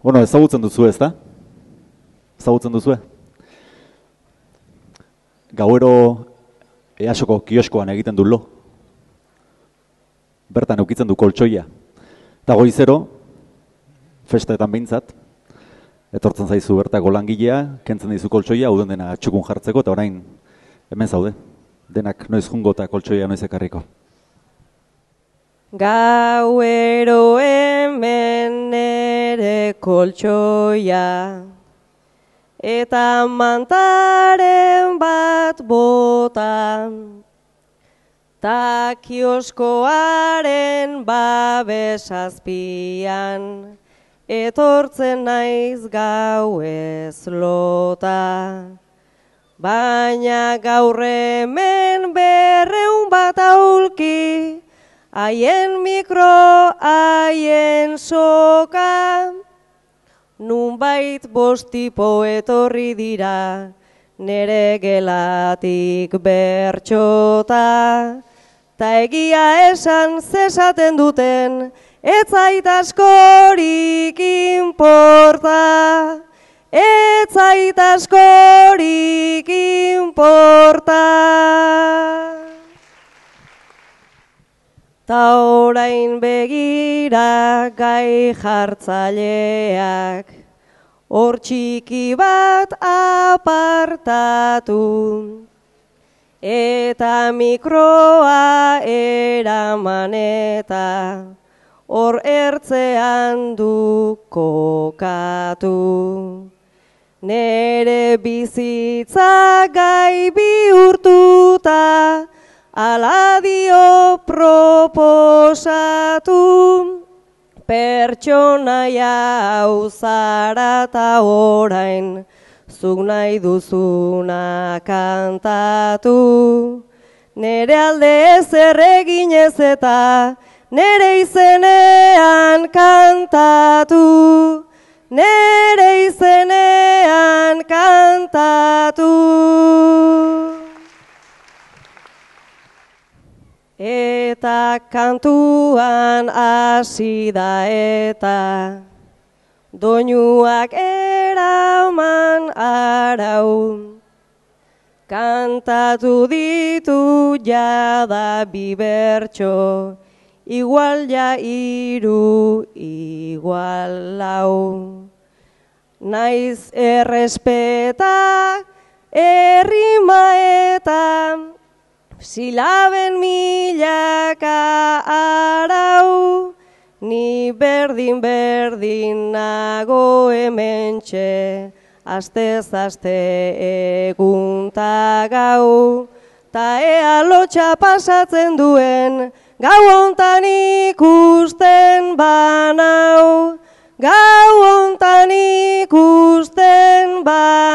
Bueno, ezagutzen duzu ez da? Ezagutzen duzu? Gauero EASoko kioskoan egiten du lo. Bertan eukitzen du koltsoia. Eta goizero, festetan behintzat, etortzen zaizu bertako langilea, kentzen dizu koltsoia, hau dena txukun jartzeko, eta orain hemen zaude. Denak noiz jungo eta koltsoia noiz ekarriko. Gauero hemen nere koltsoia, eta mantaren bat botan, ta kioskoaren babes azpian, etortzen naiz gauez lota. Baina gaur hemen 200 bat aulki, haien mikro, haien soka, nunbait 5 tipo etorri dira, nere gelatik bertxota. Ta egia esan zesaten duten, ez zait askorik inporta, ez zait askorik inporta. Ta orain begira gai jartzaileak, hor txiki bat apartatu, eta mikroa eraman eta hor ertzean du kokatu. Nere bizitza gai bihurtuta, ala dio proposatu, pertsonaia hau zara ta orain, zuk nahi duzuna kantatu. Nere alde ezer eginez eta, nere izenean kantatu, nere izenean kantatu. Eta kantuan hasi da eta doinuak eraman arau. Kantatu ditu jada 2 bertso, igual ja 3, igual 4. Naiz errespeta, errima eta silaben milaka arau, ni berdin nago hementxe, astez aste egun ta gau, ta ea lotxa pasatzen duen, gau hontan ikusten banau, gau hontan ikusten banau.